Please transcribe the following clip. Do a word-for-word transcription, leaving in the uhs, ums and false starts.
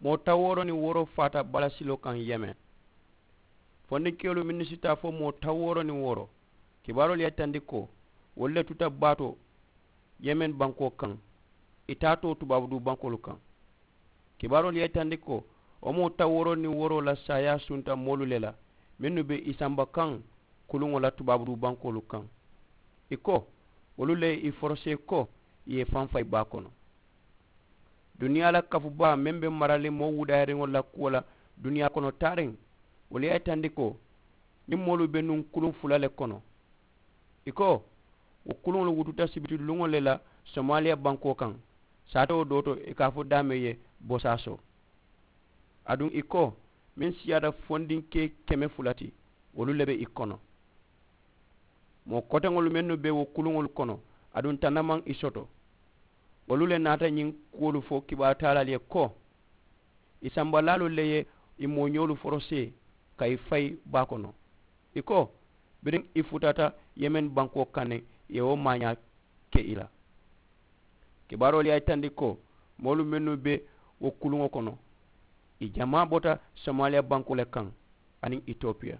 Moo tawooro niŋ wooro faata balasiloo kaŋ yemen. Fondinkeyolu mennu si taa fo moo tawooro niŋ wooro, kibaaroolu ye a yitandi ko wolu le tuta baa to yemen bankoo kaŋ, i taatoo tubaabu duu bankoolu kaŋ. Kibaaroolu ye a yitandi ko wo moo tawooro niŋ wooro la saayaa sunta moolu le la mennu be i samba kaŋ kuluŋo la tubaabu duu bankoolu kaŋ. I ko wolu le ye i forosee ko i ye i faŋ fayi baa kono. Duniyaa la kafu baa meŋ be marali moo wudaayiriŋolu la kuwo la duniyaa kono taariŋ, wolu ye a yitandi ko ñiŋ moolu be nuŋ kuluŋ fula le kono. I ko wo kuluŋolu wututa sibiti luŋo le la somaaliya bankoo kaŋ, saatoo doo to i ka a fo daameŋ ye bosaaso. Aduŋ i ko meŋ siyaata fondinkee keme fula ti, wolu le be i kono. Moo koteŋolu mennu be wo kuluŋolu kono aduŋ tanna maŋ i soto, wolu le naata ñiŋ kuwolu fo kibaaru taalaalu ye ko i sambalaalu le ye i mooñoolu forosee ka i fayi baa kono. I ko biriŋ i futata yemen bankoo kaŋ ne i ye wo maañaa ke i la. Kibaaroolu ye a yitandi ko moolu mennu be wo kuluŋo kono, i jamaa bota somaaliya bankoo le kaŋ aniŋ itopiya.